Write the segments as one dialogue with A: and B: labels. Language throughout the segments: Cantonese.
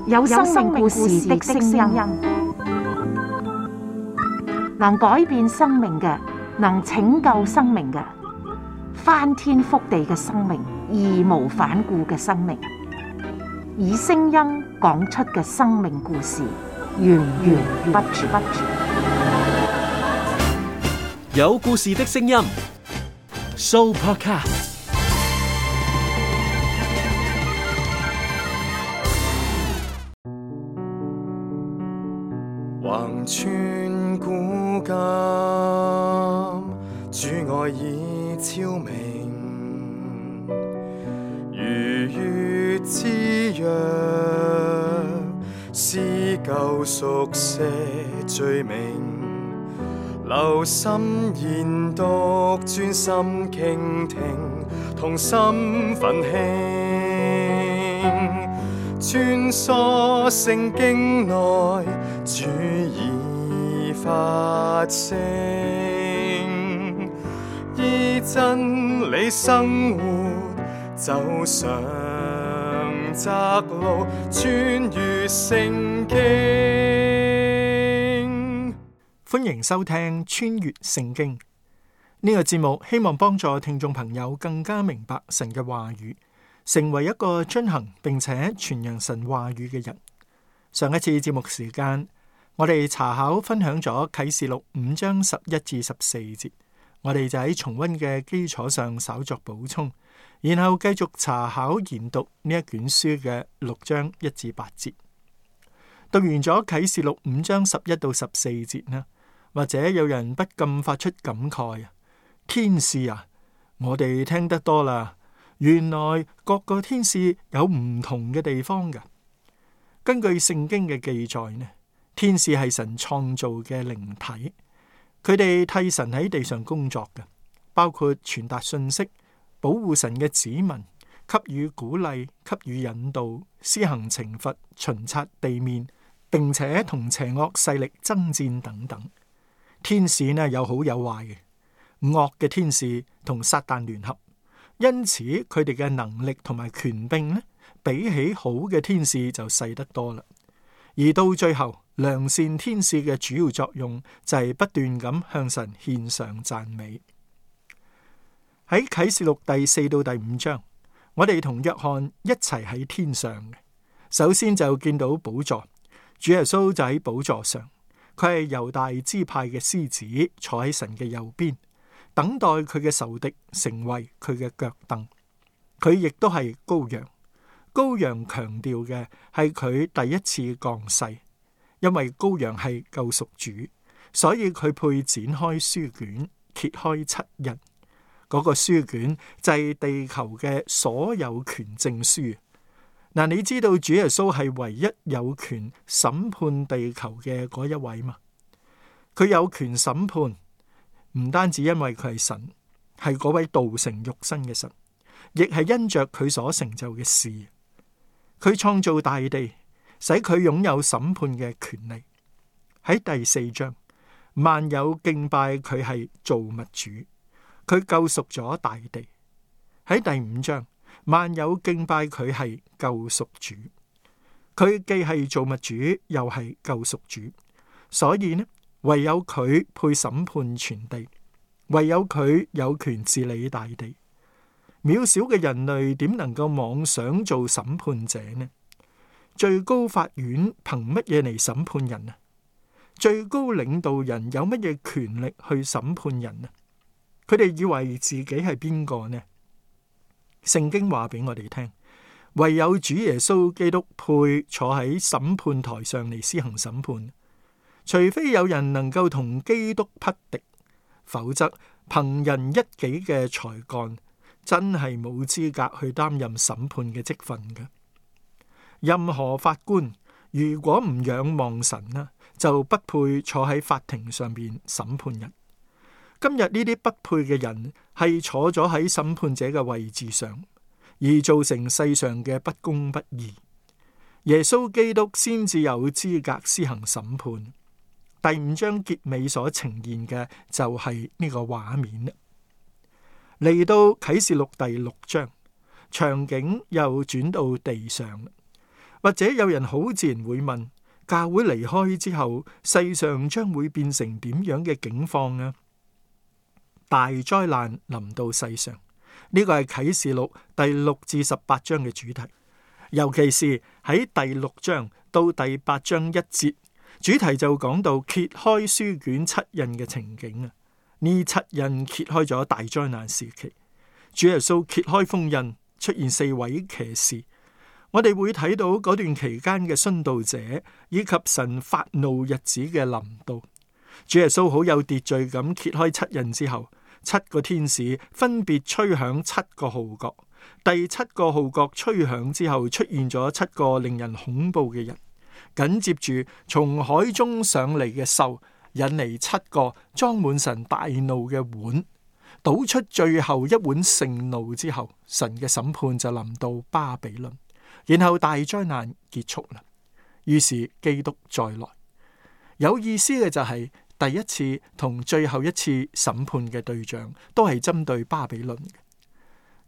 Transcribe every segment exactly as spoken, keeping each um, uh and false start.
A: 有生命故事的聲音，能改變生命嘅，能拯救生命嘅，翻天覆地嘅生命，義無反顧嘅生命，以聲音講出嘅生命故事，源源不絕。
B: 有故事的聲音 ，Sooopodcast。
C: 橫穿古今，主愛已超明，如月之約，撕舊熟寫罪名，留心研讀，專心傾聽，同心奮興，穿梭聖經內，主已發聲，依真理生活，走上窄路，穿越聖經。
D: 歡迎收聽穿越聖經呢個節目，希望幫助聽眾朋友更加明白神嘅話語，成為一個遵行並且傳揚神話語嘅人。上一次節目時間，我哋查考分享咗啟示錄五章十一至十四節，我哋就喺重溫嘅基礎上稍作補充，然後繼續查考研讀呢一卷書嘅六章一至八節。讀完咗啟示錄五章十一到十四節呢，或者有人不禁發出感慨啊，天使啊，我哋聽得多啦，原來各個天使有唔同嘅地方㗎。根據聖經嘅記載呢，天使係神創造嘅靈體，佢哋替神喺地上工作嘅，包括傳達信息、保護神嘅子民、給予鼓勵、給予引導、施行懲罰、巡察地面，並且同邪惡勢力爭戰等等。天使呢有好有壞嘅，惡嘅天使同撒旦聯合，因此佢哋嘅能力同埋權柄呢，比起好嘅天使就細得多啦。而到最後，良善天使嘅主要作用就係不斷咁向神獻上讚美。喺啟示錄第四到第五章，我哋同約翰一齊喺天上。首先就見到寶座，主耶穌就喺寶座上，佢係猶大支派嘅獅子，坐喺神嘅右邊，等待佢嘅仇敵成為佢嘅腳凳。佢亦都係羔羊。羔羊強調嘅係佢第一次降世，因為羔羊係救贖主，所以佢配展開書卷，揭開七印。嗰個書卷就係地球嘅所有權證書。嗱，你知道主耶穌係唯一有權審判地球嘅嗰一位嘛？佢有權審判，唔單止因為佢係神，係嗰位道成肉身嘅神，亦係因着佢所成就嘅事。佢創造大地，使佢擁有審判嘅權利。喺第四章，萬有敬拜佢係造物主，佢救贖咗大地。喺第五章，萬有敬拜佢係救贖主，佢既係造物主，又係救贖主。所以呢，唯有佢配審判全地，唯有佢有權治理大地。渺小嘅人類點能夠妄想做審判者呢？最高法院憑乜嘢嚟審判人啊？最高領導人有乜嘢權力去審判人啊？佢哋以為自己係邊個呢？聖經話俾我哋聽，唯有主耶穌基督配坐喺審判台上嚟施行審判，除非有人能夠同基督匹敵，否則憑人一己嘅才幹，真係冇資格去擔任審判嘅職分嘅。任何法官如果唔仰望神呢，就不配坐喺法庭上邊審判人。今日呢啲不配嘅人係坐咗喺審判者嘅位置上，而造成世上嘅不公不義。耶穌基督先至有資格施行審判。第五章結尾所呈現嘅就係呢個畫面啦。嚟到啟示錄第六章，場景又轉到地上，或者有人好自然會問，教會離開之後，世上將會變成點樣嘅境況啊？大災難臨到世上，呢個係啟示錄第六至十八章嘅主題，尤其是喺第六章到第八章一節，主題就講到揭開書卷七印嘅情景啊！呢七印揭開咗大災難時期，主耶穌揭開封印，出現四位騎士。我哋會睇到嗰段期間嘅殉道者，以及神發怒日子嘅臨到。主耶穌好有秩序咁揭開七印之後，七個天使分別吹響七個號角。第七個號角吹響之後，出現咗七個令人恐怖嘅人。緊接住從海中上嚟嘅獸，引嚟七個裝滿神大怒嘅碗，倒出最後一碗盛怒之後，神嘅審判就臨到巴比倫。然後大災難結束啦，於是基督再來。有意思嘅就係第一次同最後一次審判嘅對象都係針對巴比倫嘅。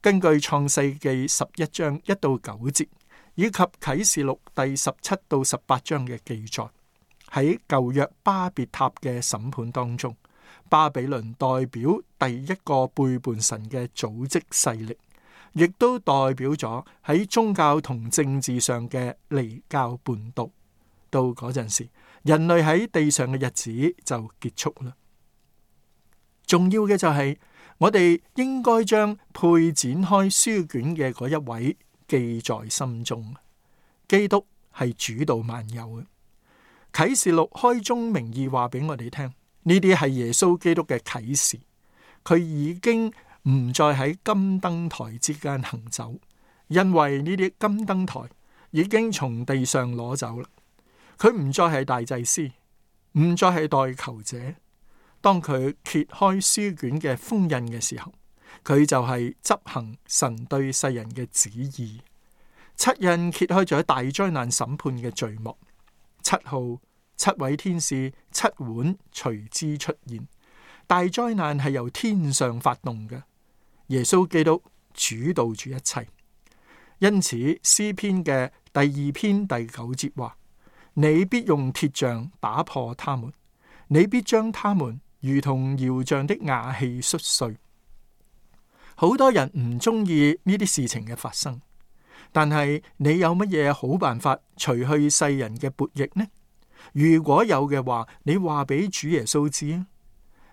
D: 根據創世記十一章一到九節，以及啟示錄第十七到十八章嘅記載，喺舊約巴別塔嘅審判當中，巴比倫代表第一個背叛神嘅組織勢力，亦都代表咗喺宗教同政治上嘅離教叛道。到嗰陣時，人類喺地上嘅日子就結束啦。重要嘅就係、是、我哋應該將配展開書卷嘅嗰一位記在心中。基督係主導萬有嘅。啟示錄開宗明義話俾我哋聽，呢啲係耶穌基督嘅啟示。佢已經唔再喺金燈台之間行走，因為呢啲金燈台已經從地上攞走啦。佢唔再係大祭司，唔再係代求者。當佢揭開書卷嘅封印嘅時候，佢就係執行神對世人嘅旨意。七印揭開咗大災難審判嘅序幕，七號、七位天使、七碗隨之出現。大災難係由天上發動嘅，耶穌基督主導住一切。因此詩篇嘅第二篇第九節話：你必用鐵杖打破他們，你必將他們如同窯匠的瓦器摔碎。好多人唔中意呢啲事情嘅發生，但係你有乜嘢好辦法除去世人嘅悖逆呢？如果有嘅話，你話俾主耶穌知啊。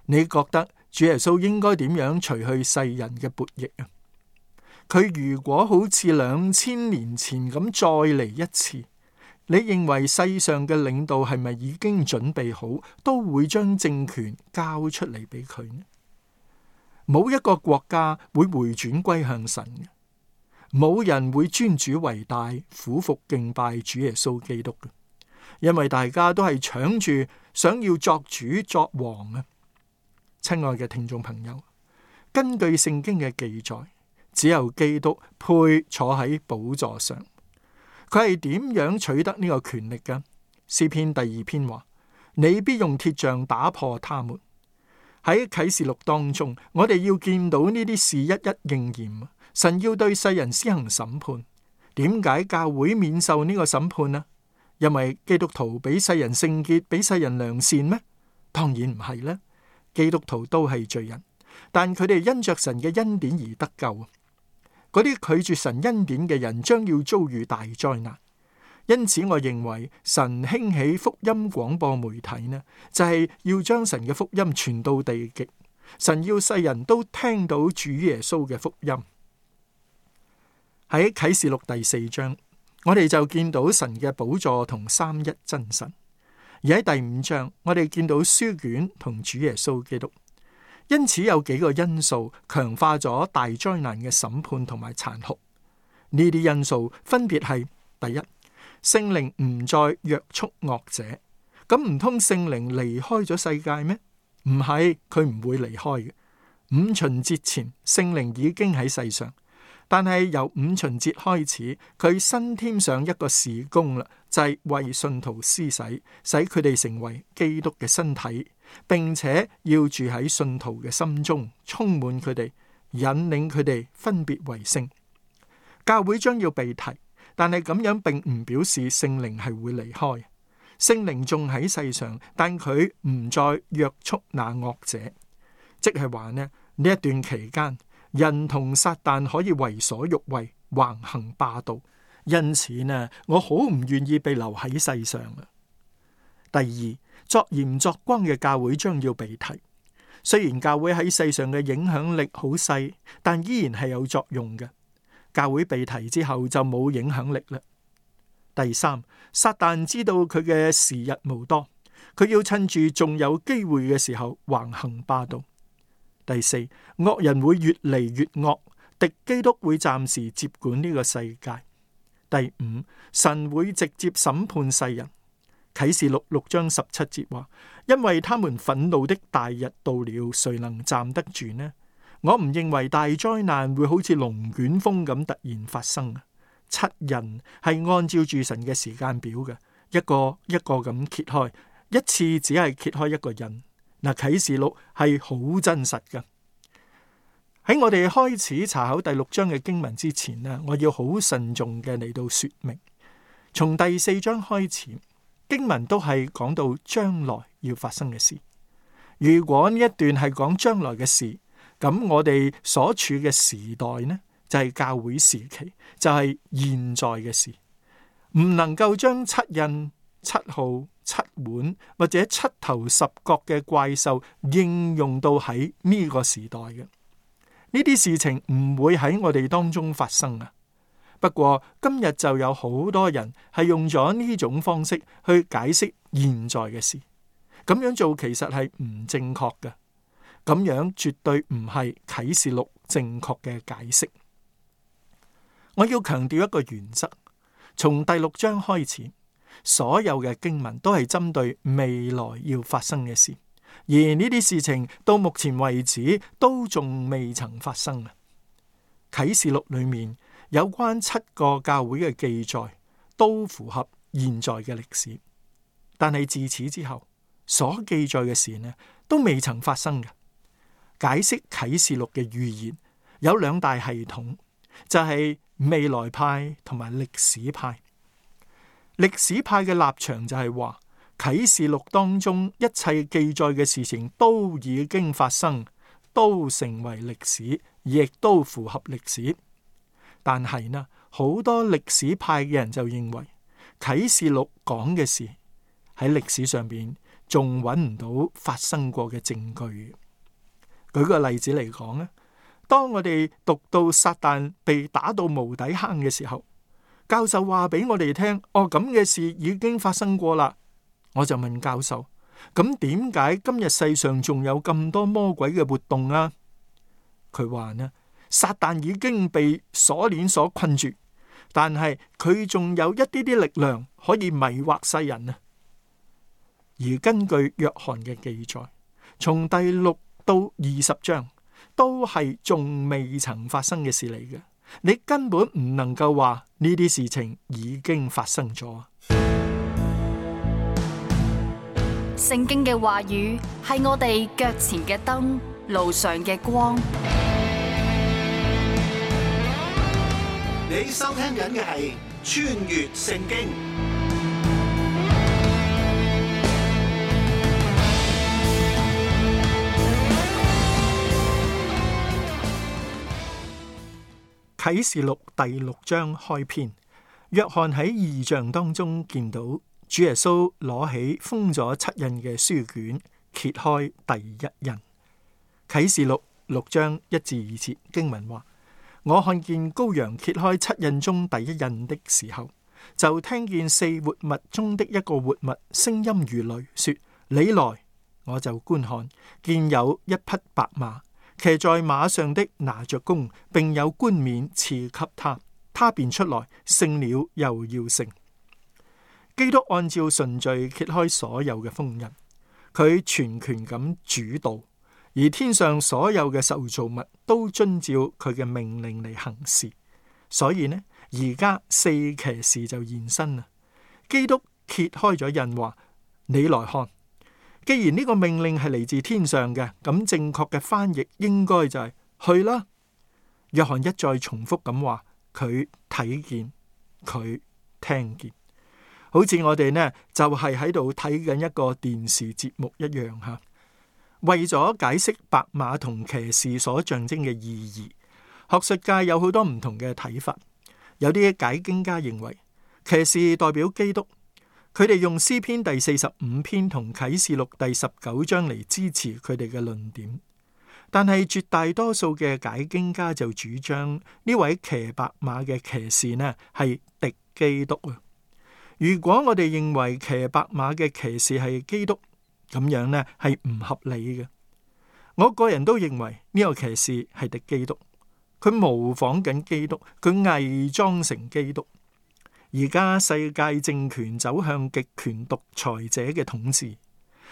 D: 你覺得主耶穌應該點樣除去世人嘅悖逆啊？佢如果好似兩千年前咁再嚟一次，你認為世上嘅領導係咪已經準備好，都會將政權交出嚟俾佢呢？冇一個國家會回轉歸向神嘅，冇人會尊主為大，俯伏敬拜主耶穌基督嘅，因為大家都係搶住想要作主作王啊！親愛嘅聽眾朋友，根據聖經嘅記載，只有基督配坐喺寶座上。佢係點樣取得呢個權力嘅？詩篇第二篇話：你必用鐵杖打破他們。喺啟示錄當中，我哋要見到呢啲事一一應驗。神要對世人施行審判。點解教會免受呢個審判呢？因為基督徒比世人聖潔，比世人良善咩？當然唔係啦。基督徒都係罪人，但佢哋因着神嘅恩典而得救。嗰啲拒絕神恩典嘅人將要遭遇大災難。因此我認為神興起福音廣播媒體呢，就係要將神嘅福音傳到地極。神要世人都聽到主耶穌嘅福音。喺啟示錄第四章，我哋就見到神嘅寶座同三一真神。而喺第五章，我哋見到書卷同主耶穌基督。因此有幾個因素強化咗大災難嘅審判同埋殘酷。呢啲因素分別係：第一，聖靈唔再約束惡者。咁唔通聖靈離開咗世界咩？唔係，佢唔會離開嘅。五旬節前，聖靈已經喺世上。但係由五旬節開始，佢新添上一個事工啦，就係為信徒施洗，使佢哋成為基督嘅身體，並且要住喺信徒嘅心中，充滿佢哋，引領佢哋分別為聖。教會將要被提，但係咁樣並唔表示聖靈係會離開。聖靈仲喺世上，但佢唔再約束那惡者，即係話呢，呢一段期間，人同撒旦可以為所欲為，橫行霸道。因此呢，我好唔願意被留喺世上啊。第二，作鹽作光嘅教會將要被提。雖然教會喺世上嘅影響力好細，但依然係有作用嘅。教會被提之後就冇影響力啦。第三，撒旦知道佢嘅時日無多，佢要趁住仲有機會嘅時候橫行霸道。第四，惡人會越嚟越惡，敵基督會暫時接管呢個世界。第五，神會直接審判世人。啟示錄六章十七節話：因為他們憤怒的大日到了，誰能站得住呢？我唔認為大災難會好似龍捲風咁突然發生。七印係按照住神嘅時間表嘅，一個一個咁揭開，一次只係揭開一個印。嗱，啟示錄係好真實嘅。喺我哋開始查考第六章嘅經文之前呢，我要好慎重嘅嚟到說明。從第四章開始，經文都係講到將來要發生嘅事。如果呢一段係講將來嘅事，咁我哋所處嘅時代呢，就係教會時期，就係現在嘅事，唔能夠將七印、七號、七碗或者七頭十角嘅怪獸應用到喺呢個時代嘅。呢啲事情唔會喺我哋當中發生啊。不過今日就有好多人係用咗呢種方式去解釋現在嘅事，咁樣做其實係唔正確嘅，咁樣絕對唔係啟示錄正確嘅解釋。我要強調一個原則，從第六章開始，所有嘅經文都係針對未來要發生嘅事，而呢啲事情到目前為止都仲未曾發生啊。啟示錄裏面有關七個教會嘅記載都符合現在嘅歷史，但係自此之後所記載嘅事呢，都未曾發生嘅。解釋啟示錄嘅預言有兩大系統，就係未來派同埋歷史派。歷史派嘅立場就係話，啟示錄當中一切記載嘅事情都已經發生，都成為歷史，亦都符合歷史。但係呢，好多歷史派嘅人就認為啟示錄講嘅事喺歷史上邊仲揾唔到發生過嘅證據。舉個例子嚟講咧，當我哋讀到撒旦被打到無底坑嘅時候，教授話俾我哋聽，哦，咁嘅事已經發生過啦。我就問教授，咁點解今日世上仲有咁多魔鬼嘅活動啊？佢話呢，撒旦已經被鎖鏈所困住，但係佢仲有一啲啲力量可以迷惑世人啊。而根據約翰嘅記載，從第六到二十章都係仲未曾發生嘅事嚟嘅，你根本唔能夠話呢啲事情已經發生咗。
E: 聖經嘅話語係我哋腳前嘅燈，路上嘅光。
F: 你收聽緊嘅係穿越聖經。
D: 啟示錄第六章開篇，約翰喺異象當中見到主耶穌攞起封咗七印嘅書卷，揭開第一印。啟示錄六章一至二節經文話：我看見羔羊揭開七印中第一印的時候，就聽見四活物中的一個活物聲音如雷，說：你來！我就觀看，見有一匹白馬，騎在馬上的拿着弓，並有冠冕賜給他，他便出來，勝了又要勝。基督按照順序揭開所有嘅封印，佢全權咁主導，而天上所有嘅受造物都遵照佢嘅命令嚟行事。所以呢，而家四騎士就現身啦。基督揭開咗印，話：你來看。既然呢個命令係嚟自天上嘅，咁正確嘅翻譯應該就係去啦。約翰一再重複咁話，佢睇見、佢聽見。好似我哋呢就係喺度睇緊一個電視節目一樣吓。為咗解釋白馬同騎士所象徵嘅意義，學術界有好多唔同嘅睇法。有啲解經家認為騎士代表基督，佢哋用詩篇第四十五篇同啟示錄第十九章嚟支持佢哋嘅論點。但係絕大多數嘅解經家就主張呢位騎白馬嘅騎士呢係敵基督啊。如果我哋認為騎白馬嘅騎士係基督，咁樣呢係唔合理嘅。我個人都認為呢個騎士係敵基督，佢模仿緊基督，佢偽裝成基督。而家世界政權走向極權獨裁者嘅統治，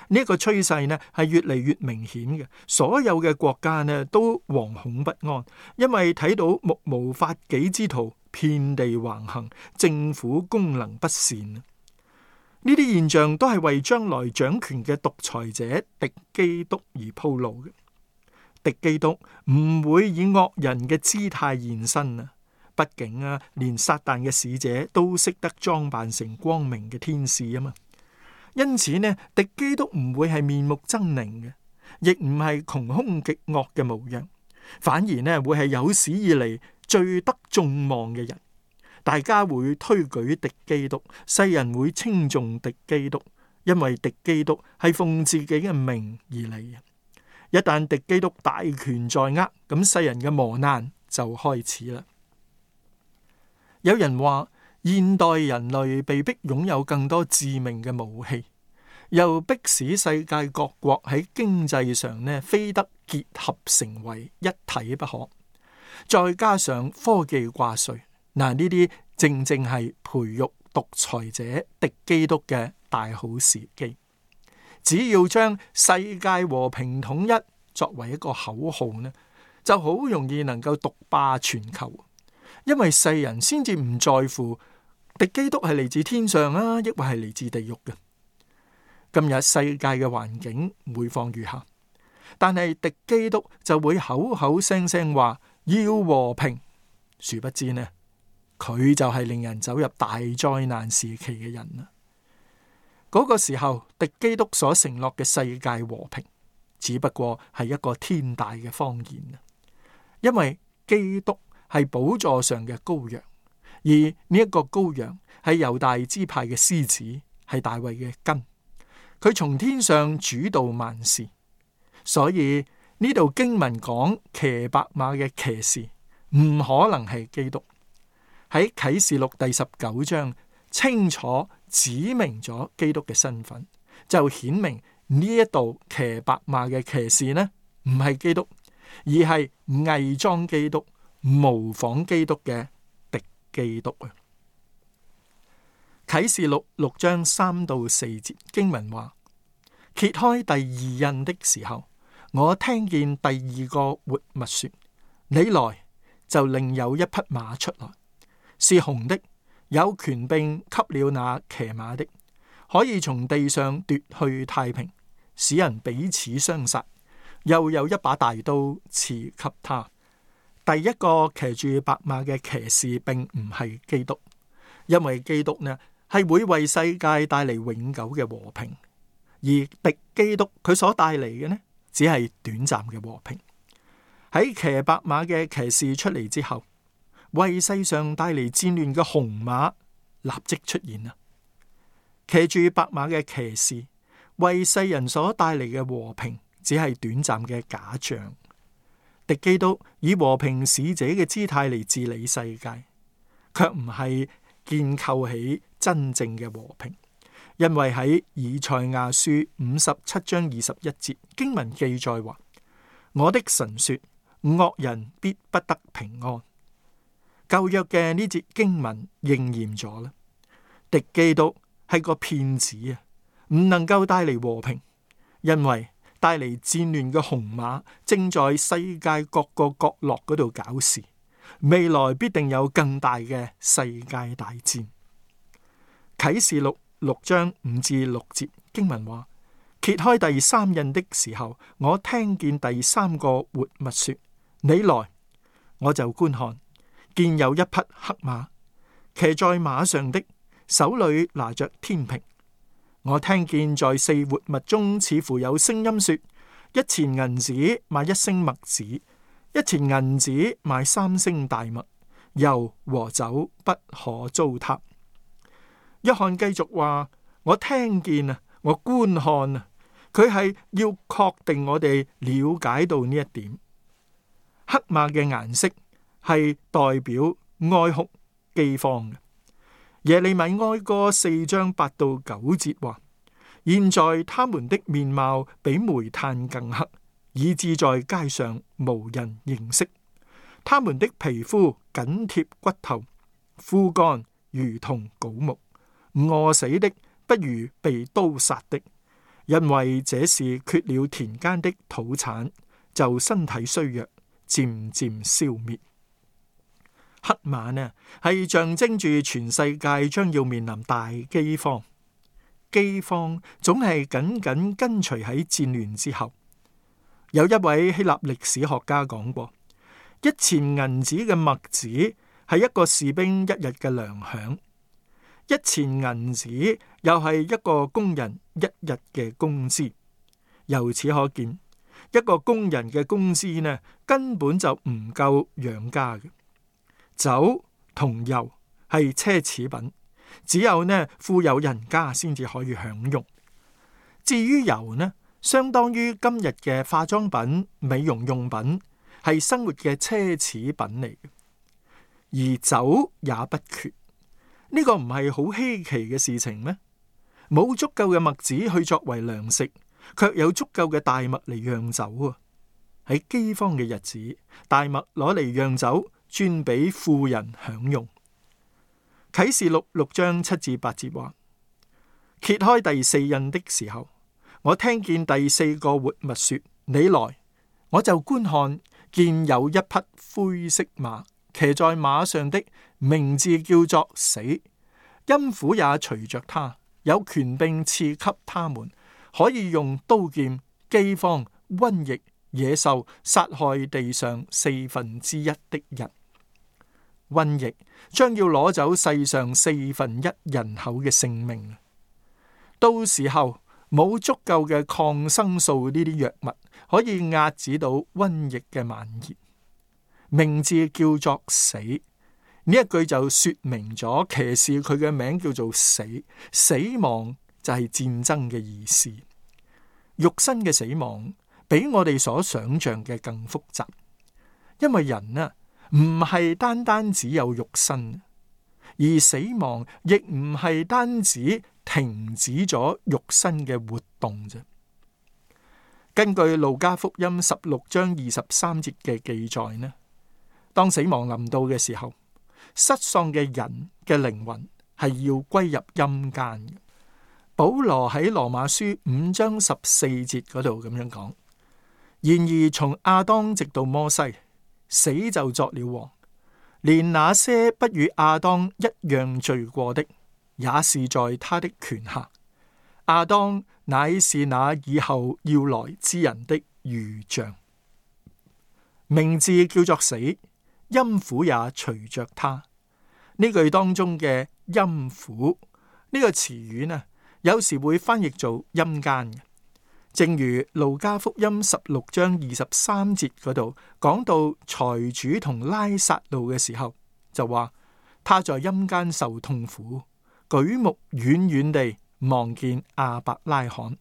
D: 呢一個趨勢呢係越嚟越明顯嘅。所有嘅國家呢都惶恐不安，因為睇到目無法紀之徒遍地橫行，政府功能不善。呢啲現象都係為將來掌權嘅獨裁者敵基督而鋪路嘅。敵基督唔會以惡人嘅姿態現身啊！畢竟啊，連撒旦嘅使者都識得裝扮成光明嘅天使啊嘛。因此呢，敵基督唔會係面目猙獰嘅，亦唔係窮兇極惡嘅模樣，反而呢會係有史以嚟最得眾望嘅人。大家會推舉敵基督，世人會稱頌敵基督，因為敵基督係奉自己嘅名而嚟。一旦敵基督大權在握，咁世人嘅磨難就開始啦。有人話，現代人類被迫擁有更多致命嘅武器，又迫使世界各國喺經濟上呢非得結合成為一體不可。再加上科技掛帥，嗱，呢啲正正係培育獨裁者敵基督嘅大好時機。只要將世界和平統一作為一個口號呢，就好容易能夠獨霸全球。因為世人先至唔在乎敵基督係嚟自天上啊，抑或係嚟自地獄嘅。今日世界嘅環境每況愈下，但係敵基督就會口口聲聲話要和平，殊不知呢，佢就係令人走入大災難時期嘅人啦。嗰個時候，敵基督所承諾嘅世界和平，只不過係一個天大嘅謊言啊！因為基督係寶座上嘅羔羊，而呢一個羔羊係猶大支派嘅獅子，係大衛嘅根。佢從天上主導萬事，所以呢度經文講騎白馬嘅騎士唔可能係基督。喺啟示錄第十九章清楚指明咗基督嘅身份，就顯明呢一度騎白馬嘅騎士呢唔係基督，而係偽裝基督、模仿基督嘅敵基督啊！啟示錄六章三到四節經文話：揭開第二印的時候，我聽見第二個活物說：你來，就另有一匹馬出來，是紅的，有權柄給了那騎馬的，可以從地上奪去太平，使人彼此相殺。又有一把大刀賜給他。第一個騎住白馬嘅騎士並唔係基督，因為基督呢係會為世界帶嚟永久嘅和平，而敵基督佢所帶嚟嘅呢只係短暫嘅和平。喺騎白馬嘅騎士出嚟之後，為世上帶嚟戰亂嘅紅馬立即出現啦。騎住白馬嘅騎士為世人所帶嚟嘅和平，只係短暫嘅假象。敵基督以和平使者嘅姿態嚟治理世界，卻唔係建構起真正嘅和平。因為喺以賽亞書五十七章二十一節經文記載話：我的神說，惡人必不得平安。舊約嘅呢節經文應驗咗啦。敵基督係個騙子啊，唔能夠帶嚟和平，因為帶嚟戰亂嘅紅馬正在世界各個角落嗰度搞事，未來必定有更大嘅世界大戰。啟示錄六章五至六節經文話：揭開第三印的時候，我聽見第三個活物說：你來，我就觀看，見有一匹黑馬，騎在馬上的，手裏拿着天平。我聽見在四活物中似乎有聲音說：一錢銀子買一升麥子，一錢銀子買三升大麥，油和酒不可糟蹋。約翰繼續話：我聽見啊，我觀看啊，佢係要確定我哋了解到呢一點。黑馬嘅顏色係代表哀哭饑荒嘅。耶利米哀歌四章八到九節話：現在他們的面貌比煤炭更黑，以致在街上無人認識。他們的皮膚緊貼骨頭，枯乾如同槁木，餓死的不如被刀殺的，因為這是缺了田間的土產，就身體衰弱，漸漸消滅。黑馬呢，係象徵住全世界將要面臨大饑荒，饑荒總係緊緊跟隨喺戰亂之後。有一位希臘歷史學家講過，一錢銀子嘅麥子係一個士兵一日嘅糧餉，一錢銀子又係一個工人一日嘅工資。由此可見，一個工人嘅工資呢，根本就唔夠養家嘅。酒同油係奢侈品，只有呢富有人家先至可以享用。至於油呢，相當於今日嘅化妝品、美容用品，係生活嘅奢侈品嚟嘅。而酒也不缺，呢個唔係好稀奇嘅事情咩？冇足夠嘅麥子去作為糧食，卻有足夠嘅大麥嚟釀酒啊！喺饑荒嘅日子，大麥攞嚟釀酒，專俾富人享用。啟示錄六章七至八節話：揭開第四印的時候，我聽見第四個活物說：你來！我就觀看，見有一匹灰色馬，騎在馬上的名字叫做死，陰府也隨着他，有權柄賜給他們，可以用刀劍、饑荒、瘟疫、野獸殺害地上四分之一的人。瘟疫將要攞走世上四分一人口嘅性命，到時候冇足夠嘅抗生素呢啲藥物可以遏止到瘟疫嘅蔓延。名字叫做死，呢一句就說明咗騎士佢嘅名叫做死，死亡就係戰爭嘅意思。肉身嘅死亡比我哋所想象嘅更複雜，因為人啊唔係單單只有肉身，而死亡亦唔係單止停止咗肉身嘅活動啫。根據路加福音十六章二十三節嘅記載呢，當死亡臨到嘅時候，失喪嘅人嘅靈魂係要歸入陰間嘅。保羅喺羅馬書五章十四節嗰度咁樣講：然而從亞當直到摩西，死就作了王，連那些不與亞當一樣罪過的，也是在他的權下。亞當乃是那以後要來之人的預像，名字叫做死，陰府也隨着他。呢句當中嘅陰府呢個詞語呢，有時會翻譯做陰間嘅。正如路加福音十六章二十三節嗰度講到財主同拉撒路嘅時候，就話他在陰間受痛苦，舉目遠遠地望見亞伯拉罕，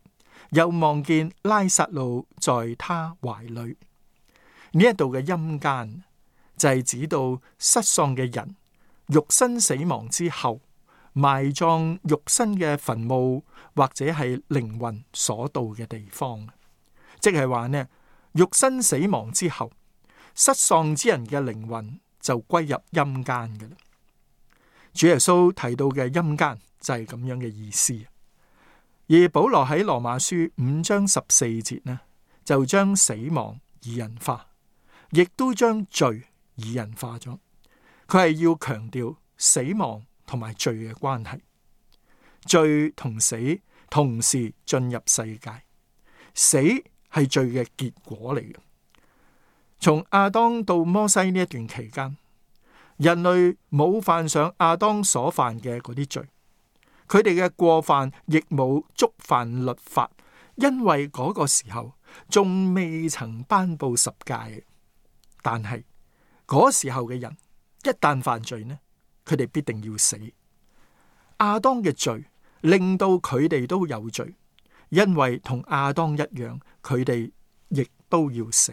D: 又望見拉撒路在他懷裏。呢一度嘅陰間就係指到失喪嘅人肉身死亡之後，埋葬肉身嘅墳墓或者係靈魂所到嘅地方，即係話呢，肉身死亡之後，失喪之人嘅靈魂就歸入陰間嘅啦。主耶穌提到嘅陰間就係咁樣嘅意思。而保羅喺羅馬書五章十四節呢，就將死亡擬人化，亦都將罪擬人化咗。佢係要強調死亡同埋罪嘅關係，罪同死同時進入世界，死係罪嘅結果嚟嘅。從亞當到摩西呢一段期間，人類冇犯上亞當所犯嘅嗰啲罪，佢哋嘅過犯亦冇觸犯律法，因為嗰個時候仲未曾頒布十誡。但係嗰時候嘅人一旦犯罪呢，佢哋必定要死。亞當嘅罪令到佢哋都有罪，因為同亞當一樣，佢哋亦都要死。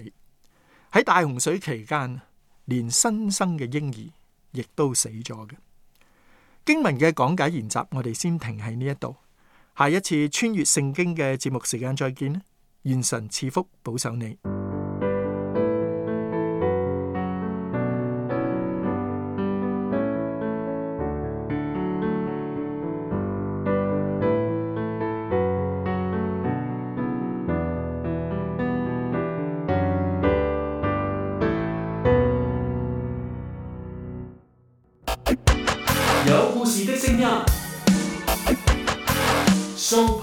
D: 喺大洪水期間，連新生嘅嬰兒亦都死咗嘅。經文嘅講解研習，我哋先停喺呢一度。下一次穿越聖經嘅節目時間再見啦！願神賜福保守你。
B: 有故事的聲音，Soul